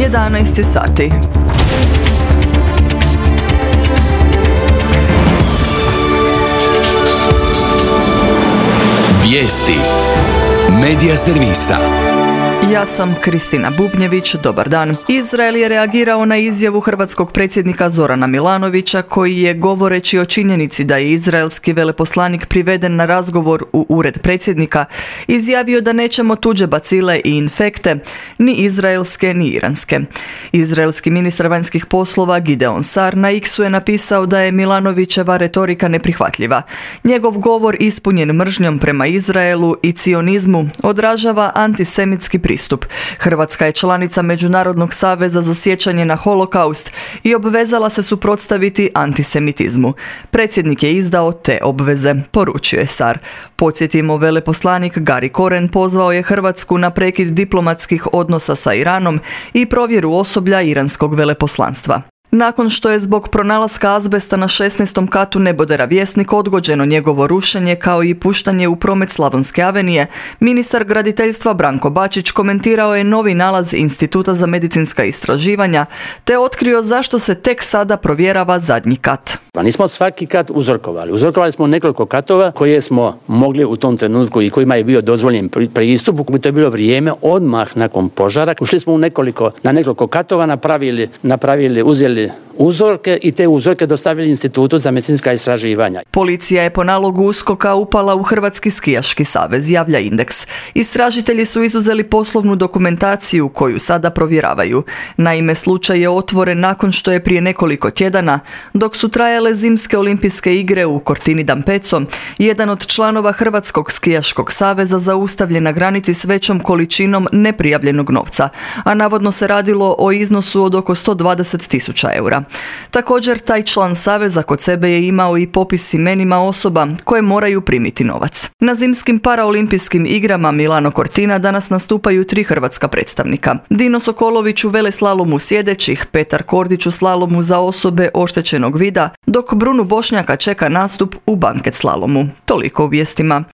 11 sati. Vijesti Medija servisa. Ja sam Kristina Bubnjević, dobar dan. Izrael je reagirao na izjavu hrvatskog predsjednika Zorana Milanovića koji je, govoreći o činjenici da je izraelski veleposlanik priveden na razgovor u ured predsjednika, izjavio da nećemo tuđe bacile i infekte, ni izraelske ni iranske. Izraelski ministar vanjskih poslova Gideon Sar na X-u je napisao da je Milanovićeva retorika neprihvatljiva. Njegov govor ispunjen mržnjom prema Izraelu i cionizmu odražava antisemitski pristup. Hrvatska je članica Međunarodnog saveza za sjećanje na holokaust i obvezala se suprotstaviti antisemitizmu. Predsjednik je izdao te obveze, poručio je Sar. Podsjetimo, veleposlanik Gari Koren pozvao je Hrvatsku na prekid diplomatskih odnosa sa Iranom i provjeru osoblja iranskog veleposlanstva. Nakon što je zbog pronalaska azbesta na 16. katu nebodera Vjesnik odgođeno njegovo rušenje kao i puštanje u promet Slavonske avenije, ministar graditeljstva Branko Bačić komentirao je novi nalaz Instituta za medicinska istraživanja te otkrio zašto se tek sada provjerava zadnji kat. Nismo svaki kat uzorkovali. Uzorkovali smo nekoliko katova koje smo mogli u tom trenutku i kojima je bio dozvoljen pristup. To je bilo vrijeme odmah nakon požara. Ušli smo na nekoliko katova, uzeli uzorke i te uzorke dostavili Institutu za medicinska istraživanja. Policija je po nalogu USKOK-a upala u Hrvatski skijaški savez, javlja Indeks. Istražitelji su izuzeli poslovnu dokumentaciju koju sada provjeravaju. Naime, slučaj je otvoren nakon što je prije nekoliko tjedana, dok su trajale zimske olimpijske igre u Cortini d'Ampezzo, jedan od članova Hrvatskog skijaškog saveza zaustavljen na granici s većom količinom neprijavljenog novca, a navodno se radilo o iznosu od oko 120.000 eura. Također, taj član saveza kod sebe je imao i popis imenima osoba koje moraju primiti novac. Na zimskim paraolimpijskim igrama Milano Cortina danas nastupaju 3 hrvatska predstavnika. Dino Sokolović u veleslalomu sjedećih, Petar Kordić u slalomu za osobe oštećenog vida, dok Brunu Bošnjaka čeka nastup u banket slalomu. Toliko u vijestima.